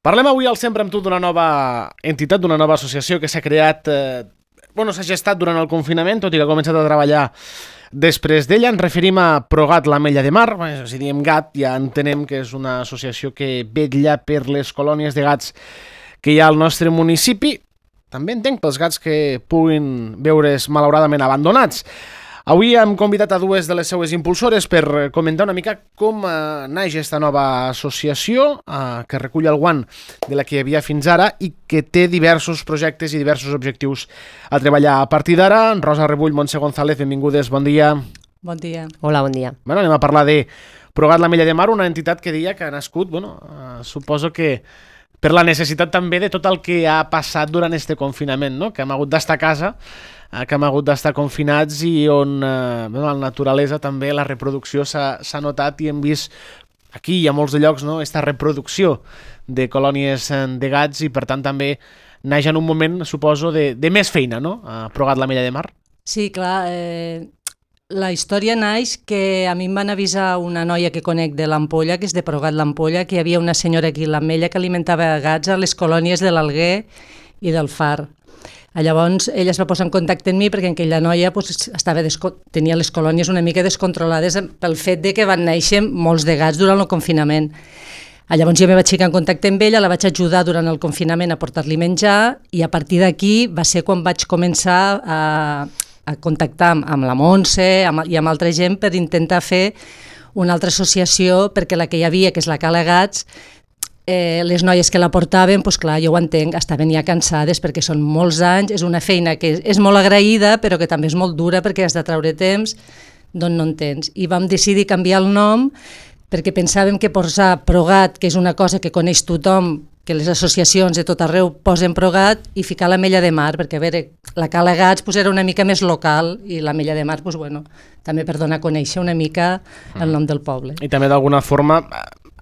Parlem avui al Sempre amb tu d'una nova entitat, d'una nova associació que s'ha creat, s'ha gestat durant el confinament, tot i que ha començat a treballar després d'ella. Ens referim a Progat l'Ametlla de Mar. Si diem gat, ja entenem que és una associació que vetlla per les colònies de gats que hi ha al nostre municipi. També entenc pels gats que puguin veure's malauradament abandonats. Avui hem convidat a dues de les seues impulsores per comentar una mica com naix aquesta nova associació que recull el guant de la que hi havia fins ara i que té diversos projectes i diversos objectius a treballar a partir d'ara. Rosa Rebull, Montse González, benvingudes, bon dia. Bon dia. Hola, bon dia. Anem a parlar de Progat l'Ametlla de Mar, una entitat que deia que ha nascut, suposo que per la necessitat també de tot el que ha passat durant este confinament, no? Que hem hagut d'estar a casa, que hem hagut d'estar confinats i on la naturalesa també, la reproducció s'ha notat i hem vist aquí i a molts de llocs, no, aquesta reproducció de colònies de gats i per tant també naix en un moment, suposo, de més feina, no? Progat l'Ametlla de Mar. Sí, clar, la història naix que a mi em van avisar una noia que conec de l'Ampolla, que és de Progat l'Ampolla, que hi havia una senyora aquí a l'Ametlla que alimentava gats a les colònies de l'Alguer i del Far. Llavors ella es va posar en contacte amb mi perquè aquella noia tenia les colònies una mica descontrolades pel fet de que van néixer molts de gats durant el confinament. Llavors jo me vaig ficar en contacte amb ella, la vaig ajudar durant el confinament a portar-li menjar i a partir d'aquí va ser quan vaig començar a contactar amb la Montse i amb altra gent per intentar fer una altra associació perquè la que hi havia, que és la Cala Gats, les noies que la portaven, doncs clar, jo ho entenc, estaven ja cansades perquè són molts anys, és una feina que és molt agraïda però que també és molt dura perquè has de treure temps d'on no en tens. I vam decidir canviar el nom perquè pensàvem que posar Progat, que és una cosa que coneix tothom, que les associacions de tot arreu posen Progat, i ficar l'Ametlla de Mar, perquè a veure, la Cala Gats era una mica més local i l'Ametlla de Mar també per donar a conèixer una mica el nom del poble. I també d'alguna forma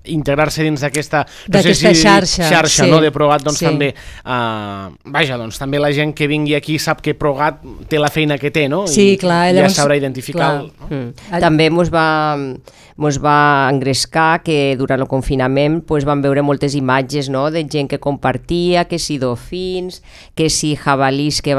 integrar-se dins d'aquesta xarxa sí, no, de Progat, doncs sí. també també la gent que vingui aquí sap que Progat té la feina que té, no? Sí, clar, llavors, ja sabrà identificar. També mos va engrescar que durant el confinament vam veure moltes imatges, no, de gent que compartia, que si dofins, que si jabalís que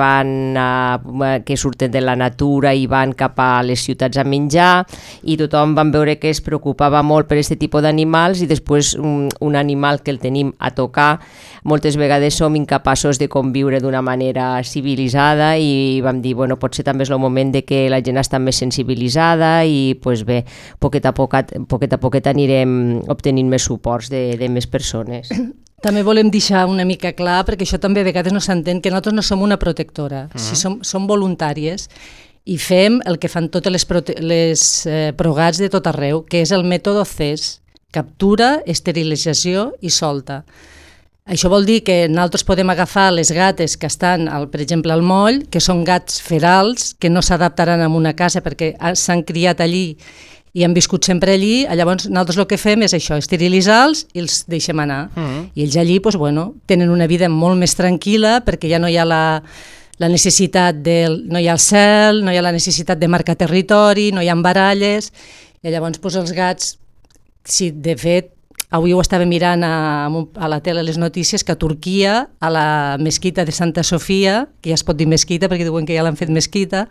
surten de la natura i van cap a les ciutats a menjar, i tothom van veure que es preocupava molt per aquest tipus d'animals i després un animal que el tenim a tocar, moltes vegades som incapaços de conviure d'una manera civilitzada i vam dir, potser també és el moment de que la gent està més sensibilitzada i bé, poquet a poquet anirem obtenint més suports de més persones. També volem deixar una mica clar, perquè això també a vegades no s'entén, que nosaltres no som una protectora, som voluntàries i fem el que fan totes les Progats de tot arreu, que és el mètode CES, captura, esterilització i solta. Això vol dir que nosaltres podem agafar les gates que estan, per exemple, al moll, que són gats ferals, que no s'adaptaran a una casa perquè s'han criat allí i han viscut sempre allí. Llavors nosaltres el que fem és això, esterilitzar-los i els deixem anar. I ells allí tenen una vida molt més tranquil·la perquè ja no hi ha la necessitat no hi ha el cel, no hi ha la necessitat de marcar territori, no hi ha baralles, i llavors els gats, sí, de fet, avui ho estava mirant a la tele les notícies, que a Turquia, a la mesquita de Santa Sofia, que ja es pot dir mesquita perquè diuen que ja l'han fet mesquita,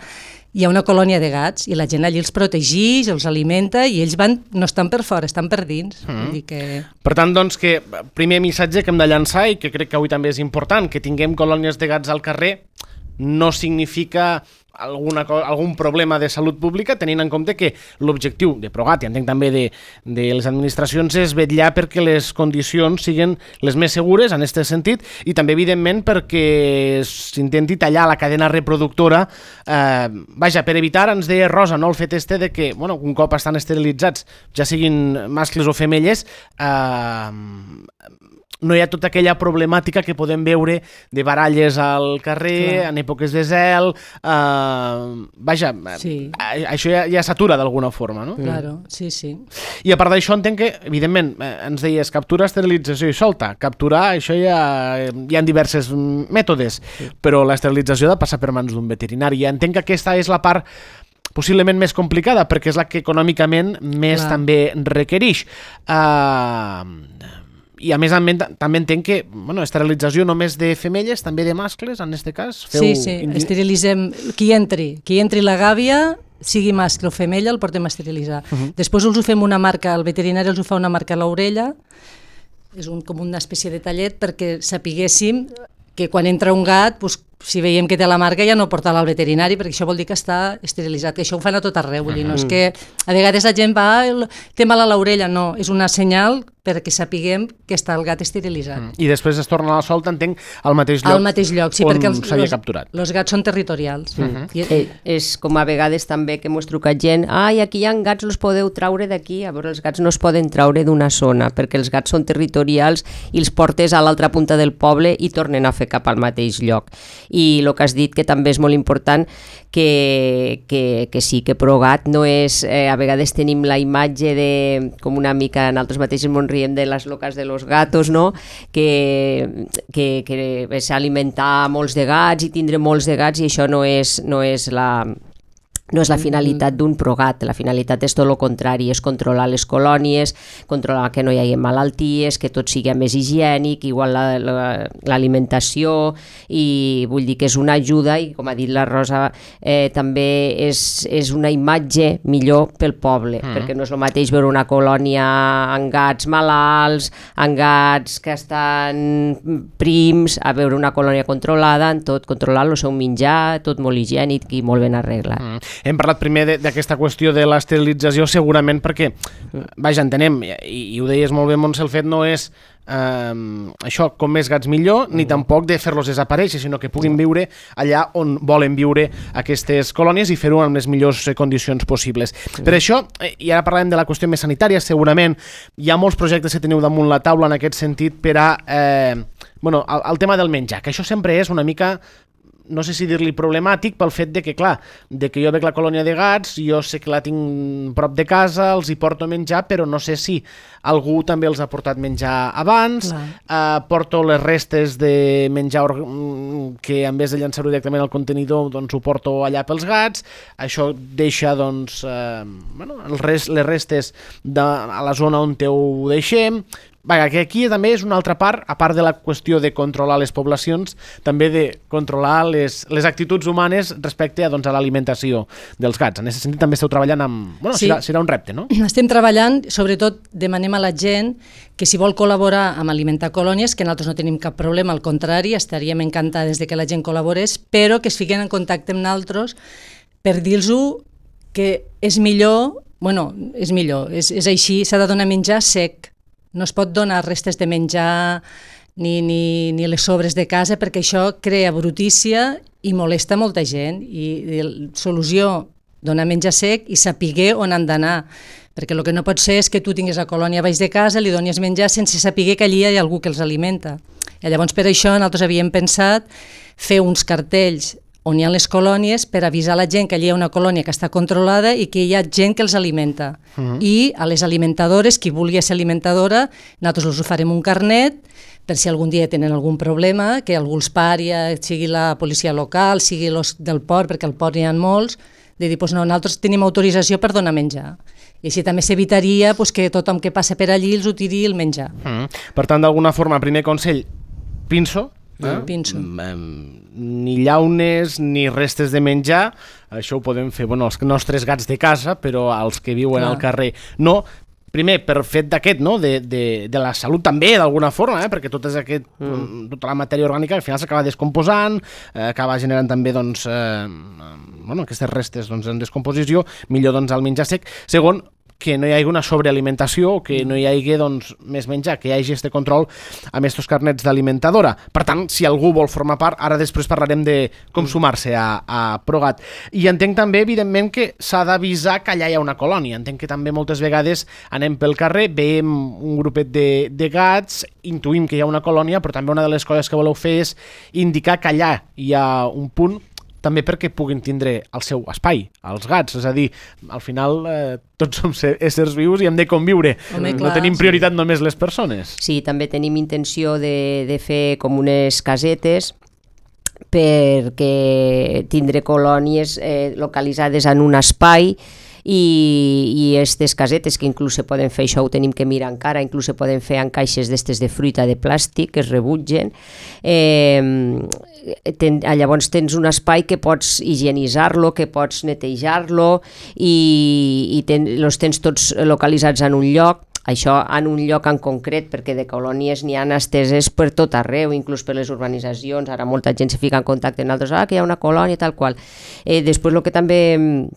hi ha una colònia de gats i la gent allí els protegeix, els alimenta i ells no estan per fora, estan per dins. Vull dir que... Per tant, doncs, que primer missatge que hem de llançar i que crec que avui també és important, que tinguem colònies de gats al carrer no significa algun problema de salut pública, tenint en compte que l'objectiu de Progat, i entenc també de les administracions, és vetllar perquè les condicions siguin les més segures en aquest sentit i també, evidentment, perquè s'intenti tallar la cadena reproductora, per evitar, ens deia Rosa, no, el fet de que, un cop estan esterilitzats, ja siguin mascles o femelles, no hi ha tota aquella problemàtica que podem veure de baralles al carrer, en èpoques de zel, això ja s'atura d'alguna forma, no? Claro, sí. I a part d'això entenc que, evidentment, ens deies captura, esterilització i solta. Capturar, això hi ha diversos mètodes, però l'esterilització ha de passar per mans d'un veterinari. I entenc que aquesta és la part possiblement més complicada, perquè és la que econòmicament més també requereix. I a més també entenc que esterilització només de femelles, també de mascles, en aquest cas? Sí, esterilitzem qui entri la gàbia, sigui mascle o femella, el portem a esterilitzar. Després els ho fem una marca, el veterinari els ho fa una marca a l'orella, és com una espècie de tallet perquè sapiguéssim que quan entra un gat, si veiem que té la marca ja no porta-la al veterinari, perquè això vol dir que està esterilitzat, que això ho fan a tot arreu, vull dir, no és que a vegades la gent va, té mal a l'orella, no, és una senyal perquè sapiguem que està el gat esterilitzat. I després es torna a la solta, entenc, al mateix lloc, al mateix lloc, sí, perquè s'havia capturat. Els gats són territorials. És com a vegades també que mos truca gent, aquí hi ha gats, els podeu traure d'aquí, a veure, els gats no es poden traure d'una zona, perquè els gats són territorials i els portes a l'altra punta del poble i tornen a fer cap al mateix lloc. I el que has dit, que també és molt important, que sí, que Progat no és... a vegades tenim la imatge de, com una mica, nosaltres mateixos ens riem de les locas de los gatos, no? Que és alimentar molts de gats i tindre molts de gats, i això no és la finalitat d'un Progat. La finalitat és tot el contrari, és controlar les colònies, controlar que no hi hagi malalties, que tot sigui més higiènic, igual l'alimentació, i vull dir que és una ajuda, i com ha dit la Rosa, també és una imatge millor pel poble, perquè no és el mateix veure una colònia amb gats malalts, amb gats que estan prims, a veure una colònia controlada, en tot controlar el seu menjar, tot molt higiènic i molt ben arreglat. Hem parlat primer d'aquesta qüestió de l'esterilització, segurament perquè, vaja, entenem, i ho deies molt bé, Montse, el fet no és això, com més gats millor, ni tampoc de fer-los desaparèixer, sinó que puguin viure allà on volen viure aquestes colònies i fer-ho en les millors condicions possibles. Per això, i ara parlem de la qüestió més sanitària, segurament hi ha molts projectes que teniu damunt la taula en aquest sentit per a el tema del menjar, que això sempre és una mica, no sé si dir-li problemàtic, pel fet de que, clar, de que jo veig la colònia de gats, jo sé que la tinc prop de casa, els hi porto menjar, però no sé si algú també els ha portat menjar abans, porto les restes de menjar que en vez de llançar-ho directament al contenidor, doncs ho porto allà pels gats, això deixa, doncs, les restes a la zona on ho deixem. Vaja, que aquí també és una altra part, a part de la qüestió de controlar les poblacions, també de controlar les actituds humanes respecte a l'alimentació dels gats. En aquest sentit també esteu treballant amb... Sí. Serà un repte, no? Estem treballant, sobretot demanem a la gent que si vol col·laborar amb alimentar colònies, que nosaltres no tenim cap problema, al contrari, estaríem encantades de que la gent col·laborés, però que es fiquen en contacte amb nosaltres per dir-los que és millor, és així, s'ha de donar menjar sec. No es pot donar restes de menjar ni les sobres de casa, perquè això crea brutícia i molesta molta gent. I la solució, donar menjar sec i saber on han d'anar. Perquè el que no pot ser és que tu tinguis la colònia baix de casa, li donis menjar sense saber que allí hi ha algú que els alimenta. I llavors per això nosaltres havíem pensat fer uns cartells on hi ha les colònies per avisar la gent que allí hi ha una colònia que està controlada i que hi ha gent que els alimenta. I a les alimentadores, qui vulgui ser alimentadora, nosaltres els oferim un carnet per si algun dia tenen algun problema, que algú els pari, sigui la policia local, sigui els del port, perquè al port hi ha molts, de dir, nosaltres tenim autorització per donar menjar. I així també s'evitaria que tothom que passa per allí els ho tiri el menjar. Per tant, d'alguna forma, primer consell, pinso, Pinso. Ni llaunes ni restes de menjar, això ho podem fer els nostres gats de casa, però els que viuen al carrer no. Primer, per fet d'aquest, no? de la salut també, d'alguna forma, perquè tota la matèria orgànica al final s'acaba descomposant, acaba generant també aquestes restes en descomposició, millor el menjar sec. Segon, que no hi hagi una sobrealimentació, que no hi hagi més menjar, que hi hagi aquest control amb aquests carnets d'alimentadora. Per tant, si algú vol formar part, ara després parlarem de com sumar-se a Progat. I entenc també, evidentment, que s'ha d'avisar que allà hi ha una colònia. Entenc que també moltes vegades anem pel carrer, veiem un grupet de gats, intuïm que hi ha una colònia, però també una de les coses que voleu fer és indicar que allà hi ha un punt també perquè puguin tindre el seu espai, els gats, és a dir, al final tots som éssers vius i hem de conviure. No tenim prioritat només les persones. Sí, també tenim intenció de fer com unes casetes perquè tindre colònies localitzades en un espai i aquestes casetes que inclús se poden fer, això ho tenim que mirar encara, inclús se poden fer en caixes d'estes de fruita de plàstic que es rebutgen. Llavors tens un espai que pots higienitzar-lo, que pots netejar-lo i els tens tots localitzats en un lloc. Això en un lloc en concret, perquè de colònies n'hi ha esteses per tot arreu, inclús per les urbanitzacions. Ara molta gent se fica en contacte amb altres, que hi ha una colònia tal qual. Després el que també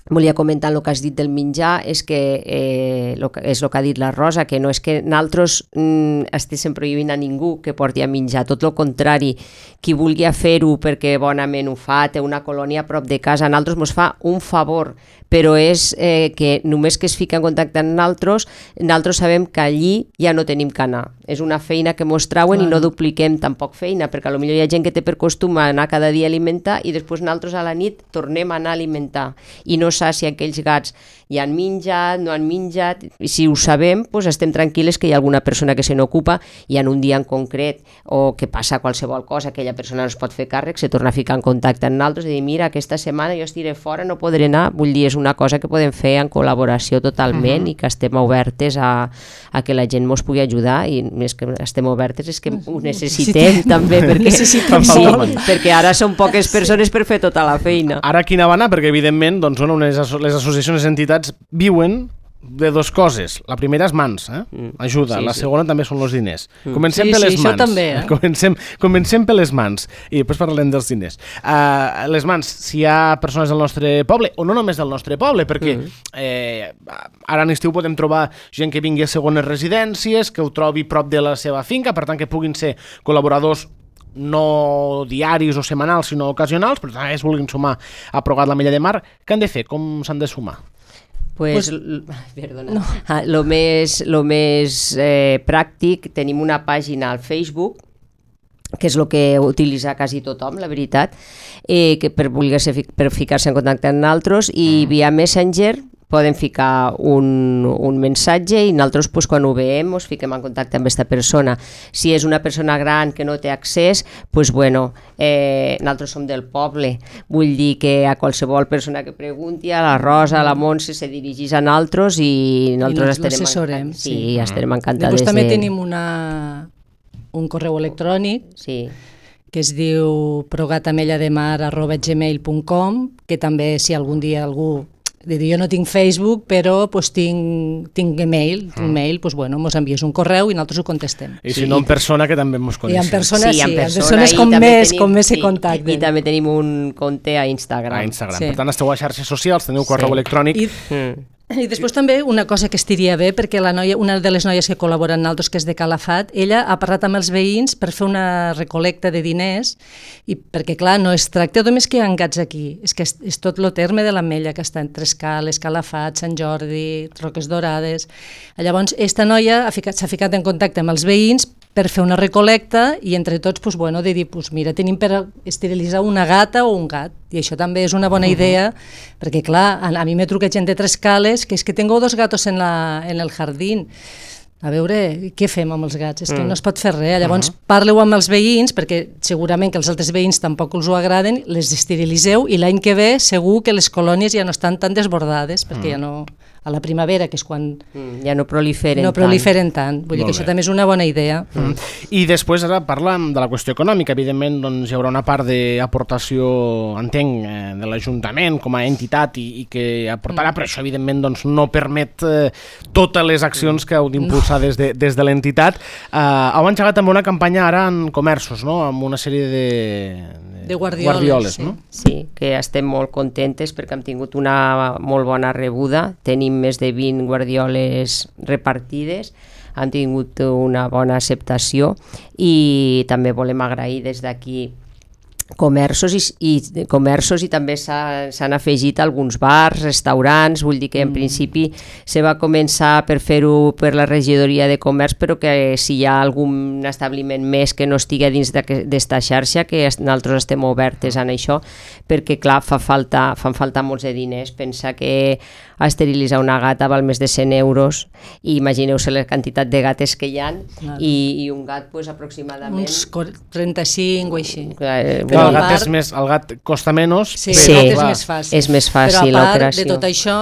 volia comentar el que has dit del menjar és que és el que ha dit la Rosa, que no és que nosaltres estiguéssim prohibint a ningú que porti a menjar, tot el contrari, qui vulgui fer-ho perquè bonament ho fa, té una colònia a prop de casa, a nosaltres ens fa un favor, però és que només que es fica en contacte amb nosaltres sabem que allí ja no tenim que anar. És una feina que mos trauen i no dupliquem tampoc feina, perquè potser hi ha gent que té per costum anar cada dia a alimentar i després nosaltres a la nit tornem a anar a alimentar i no saps si aquells gats ja han menjat, no han menjat, i si ho sabem, doncs estem tranquil·les que hi ha alguna persona que se n'ocupa i en un dia en concret o que passa qualsevol cosa, aquella persona no es pot fer càrrec, se torna a ficar en contacte amb nosaltres i dir, mira, aquesta setmana jo estiré fora, no podré anar, vull dir, és una cosa que podem fer en col·laboració totalment i que estem obertes a que la gent mos pugui ajudar i més que estem obertes és que ho necessitem també, perquè ara són poques persones per fer tota la feina. Ara quina va anar? Perquè evidentment doncs, les associacions i entitats viuen de dues coses. La primera és mans, ajuda. La segona també són els diners. Comencem per les mans. També, comencem per les mans i després parlem dels diners. Les mans, si hi ha persones del nostre poble, o no només del nostre poble, perquè ara en estiu podem trobar gent que vingui a segones residències, que ho trobi prop de la seva finca, per tant que puguin ser col·laboradors no diaris o setmanals, sinó ocasionals, però també es vulguin sumar a Progat l'Ametlla de Mar. Què han de fer? Com s'han de sumar? Lo més pràctic, tenim una pàgina al Facebook, que és el que utilitza quasi tothom, la veritat, que per ficar-se en contacte amb nosaltres, i via Messenger poden ficar un missatge i nosaltres quan ho veiem ens fiquem en contacte amb aquesta persona. Si és una persona gran que no té accés, nosaltres som del poble, vull dir que a qualsevol persona que pregunti, a la Rosa, a la Montse, se dirigís a nosaltres i nosaltres estarem encantades. Després també tenim un correu electrònic que es diu progatamella.gmail.com, que també si algun dia algú jo no tinc Facebook, però tinc email, mos envies un correu i nosaltres ho contestem. I si no en persona, que també mos coneixem. I en persones com més se contacten. I també tenim un compte a Instagram. Per tant, esteu a xarxes socials, teniu correu electrònic. I després també una cosa que estiria bé, perquè una de les noies que col·labora amb nosaltres, que és de Calafat, ella ha parlat amb els veïns per fer una recolecta de diners, i perquè clar, no es tracta només que hi ha gats aquí, és que és tot el terme de l'Ametlla, que està entre Escales, Calafat, Sant Jordi, Roques Dorades. Llavors, aquesta noia s'ha ficat en contacte amb els veïns per fer una recolecta i entre tots de dir, mira, tenim per esterilitzar una gata o un gat, i això també és una bona idea, perquè clar, a mi m'he trucat gent de Trescales que és que tengo 2 gatos en el jardín. A veure, què fem amb els gats? És que no es pot fer res. Llavors parleu amb els veïns, perquè segurament que els altres veïns tampoc els ho agraden, les esterilitzeu i l'any que ve segur que les colònies ja no estan tan desbordades, perquè ja no... a la primavera, que és quan... ja no proliferen tant. Vull dir que això també és una bona idea. I després ara parlem de la qüestió econòmica. Evidentment doncs, hi haurà una part d'aportació, entenc, de l'Ajuntament com a entitat i que aportarà, però això evidentment doncs, no permet totes les accions que heu d'impulsar des de l'entitat. Heu engegat també una campanya ara en comerços, no? Amb una sèrie de guardioles, no? Sí, que estem molt contentes perquè hem tingut una molt bona rebuda. Tenim més de 20 guardioles repartides, han tingut una bona acceptació i també volem agrair des d'aquí comerços i també s'han afegit alguns bars, restaurants, vull dir que en principi se va començar per fer-ho per la regidoria de comerç, però que si hi ha algun establiment més que no estigui dins d'esta xarxa, que nosaltres estem obertes en això, perquè clar, fan falta molts de diners. Pensa que esterilitzar una gata val més de 100 euros i imagineu-se la quantitat de gates que hi ha i un gat aproximadament... Uns 35 o així. tenir. El gat costa menys. Sí, Sí, el gat és més fàcil. És més fàcil però a part l'operació. de tot això,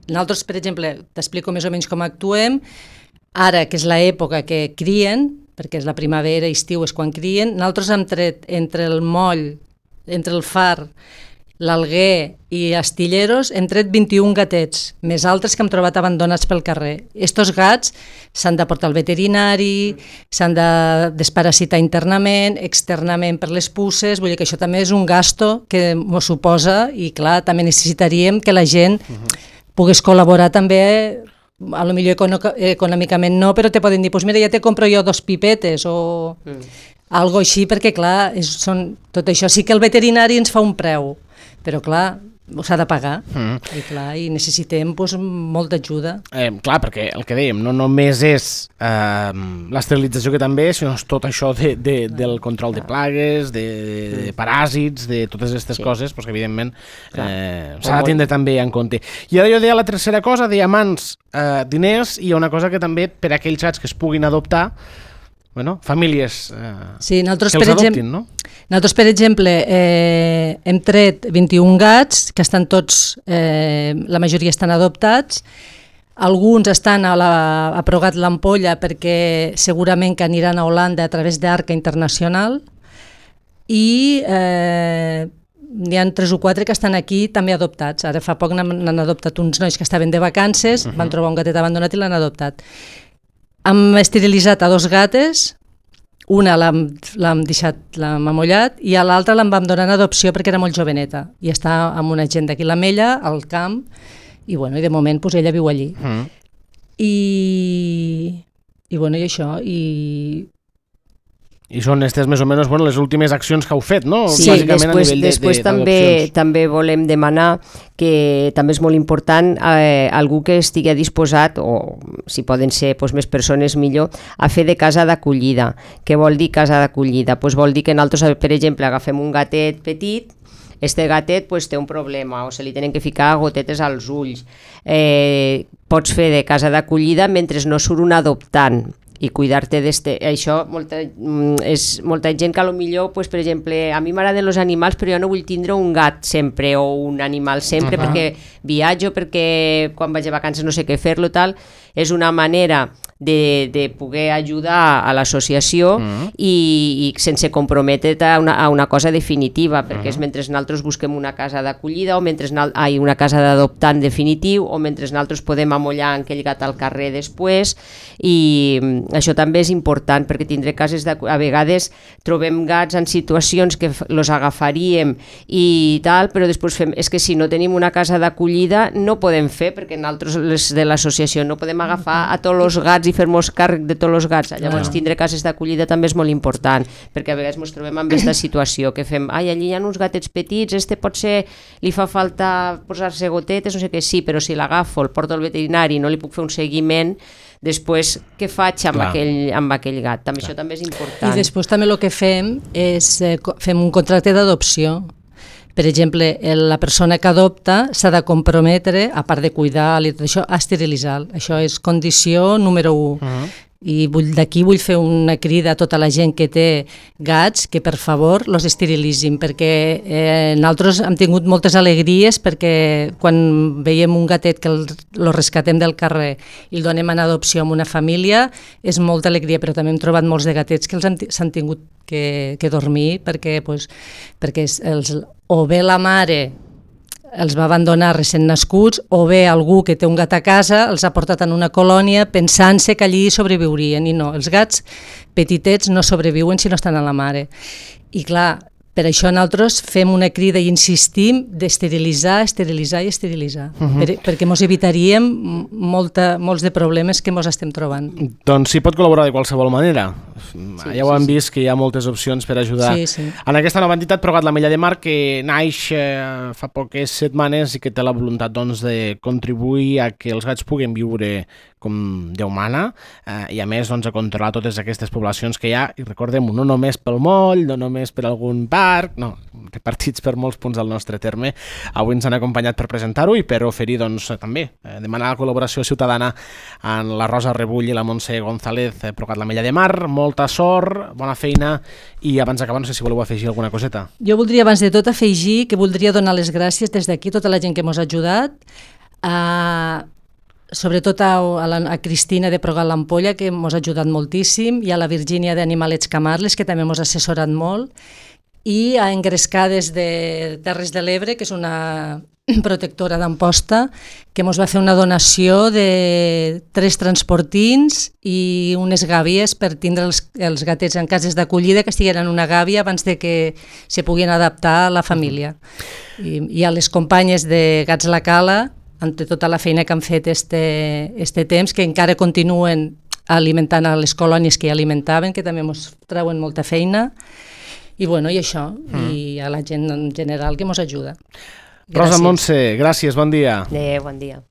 nosaltres, per exemple, t'explico més o menys com actuem. Ara, que és l'època que crien, perquè és la primavera, estiu és quan crien, nosaltres hem tret entre el moll, entre el far, l'Alguer i Astilleros, hem tret 21 gatets, més altres que hem trobat abandonats pel carrer. Estos gats s'han de portar al veterinari, s'han de desparasitar internament, externament per les puces, vull dir que això també és un gasto que ens suposa i, clar, també necessitaríem que la gent pogués col·laborar també, a lo millor econòmicament no, però te poden dir, pues mira, ja te compro jo 2 pipetes o algo així, perquè clar, tot això sí que el veterinari ens fa un preu, però clar, s'ha de pagar i clar, i necessitem molta ajuda. Clar, perquè el que dèiem, no només és l'esterilització que també, sinó tot això del control de plagues, de paràsits, de totes aquestes coses, que evidentment s'ha de tindre també en compte. I ara jo deia la tercera cosa, deia mans, diners, i hi ha una cosa que també per a aquells gats que es puguin adoptar, famílies sí, nosaltres, que els adoptin, no? Nosaltres, per exemple, hem tret 21 gats, que estan tots, la majoria estan adoptats, alguns estan a Progat l'Ampolla perquè segurament que aniran a Holanda a través d'Arca Internacional i n'hi ha 3 o 4 que estan aquí també adoptats. Ara fa poc n'han adoptat uns nois que estaven de vacances, van trobar un gatet abandonat i l'han adoptat. Hem esterilitzat a 2 gates, una l'hem amollat i a l'altra l'en vam donar en adopció perquè era molt joveneta i està amb una gent d'aquí a l'Ametlla, al camp, i de moment ella viu allí. I això, I són aquestes més o menys les últimes accions que heu fet, no? Sí, després també volem demanar que també és molt important algú que estigui disposat, o si poden ser més persones millor, a fer de casa d'acollida. Què vol dir casa d'acollida? Vol dir que nosaltres, per exemple, agafem un gatet petit, este gatet té un problema o se li tenen que ficar gotetes als ulls. Pots fer de casa d'acollida mentre no surt un adoptant i cuidar-te d'este. Això és molta gent que potser, per exemple, a mi m'agraden els animals però jo no vull tindre un gat sempre o un animal sempre perquè viatjo, perquè quan vaig a vacances no sé què fer-lo, tal. És una manera de poder ajudar a l'associació i sense comprometre't a una cosa definitiva, perquè és mentre nosaltres busquem una casa d'acollida o mentre una casa d'adoptant definitiu o mentre nosaltres podem amollar aquell gat al carrer després, i això també és important perquè tindré cases a vegades trobem gats en situacions que los agafaríem i tal, però després fem, és que si no tenim una casa d'acollida no podem fer, perquè nosaltres les de l'associació no podem agafar a tots els gats i fer-nos càrrec de tots els gats. Llavors tindre cases d'acollida també és molt important, perquè a vegades ens trobem amb aquesta situació que fem, allí hi ha uns gatets petits, potser li fa falta posar-se gotetes, no sé què, sí, però si l'agafo, el porto al veterinari i no li puc fer un seguiment, després què faig amb aquell gat? També això també és important. I després també el que fem és fem un contracte d'adopció. Per exemple, la persona que adopta s'ha de comprometre, a part de cuidar i tot això, a esterilitzar. Això és condició número 1. I d'aquí vull fer una crida a tota la gent que té gats que per favor los esterilitzin, perquè nosaltres hem tingut moltes alegries, perquè quan veiem un gatet que el rescatem del carrer i el donem en adopció a una família és molta alegria, però també hem trobat molts de gatets que s'han tingut que dormir perquè o bé la mare els va abandonar recent nascuts o bé algú que té un gat a casa els ha portat en una colònia pensant-se que allí sobreviurien, i no, els gats petitets no sobreviuen si no estan a la mare. I clar, per això nosaltres fem una crida i insistim d'esterilitzar, esterilitzar i esterilitzar, perquè ens evitaríem molts de problemes que ens estem trobant. Doncs s'hi pot col·laborar de qualsevol manera. Ja ho hem vist que hi ha moltes opcions per ajudar en aquesta nova entitat Progat l'Ametlla de Mar, que naix fa poques setmanes i que té la voluntat de contribuir a que els gats puguin viure com Déu mana, i a més doncs, a controlar totes aquestes poblacions que hi ha, i recordem-ho, no només pel moll, no només per algun parc, no, repartits per molts punts del nostre terme. Avui ens han acompanyat per presentar-ho i per oferir doncs, també demanar la col·laboració ciutadana en la Rosa Rebull i la Montse González, Progat l'Ametlla de Mar. Molta sort, bona feina, i abans d'acabar no sé si voleu afegir alguna coseta. Jo voldria abans de tot afegir que voldria donar les gràcies des d'aquí a tota la gent que ens ha ajudat, sobretot a Cristina de Progat l'Ampolla, que ens ha ajudat moltíssim, i a la Virgínia d'Animalets Camarles, que també ens ha assessorat molt, i a Engrescar des de Terres de l'Ebre, que és una protectora d'Amposta, que ens va fer una donació de 3 transportins i unes gàbies per tindre els gatets en cases d'acollida que estigueren en una gàbia abans de que se puguin adaptar a la família. I a les companyes de Gats la Cala, amb tota la feina que han fet este temps, que encara continuen alimentant a les colònies que ja alimentaven, que també ens treuen molta feina, i això, i a la gent en general que ens ajuda. Rosa Montse, gràcies, bon dia. Bon dia.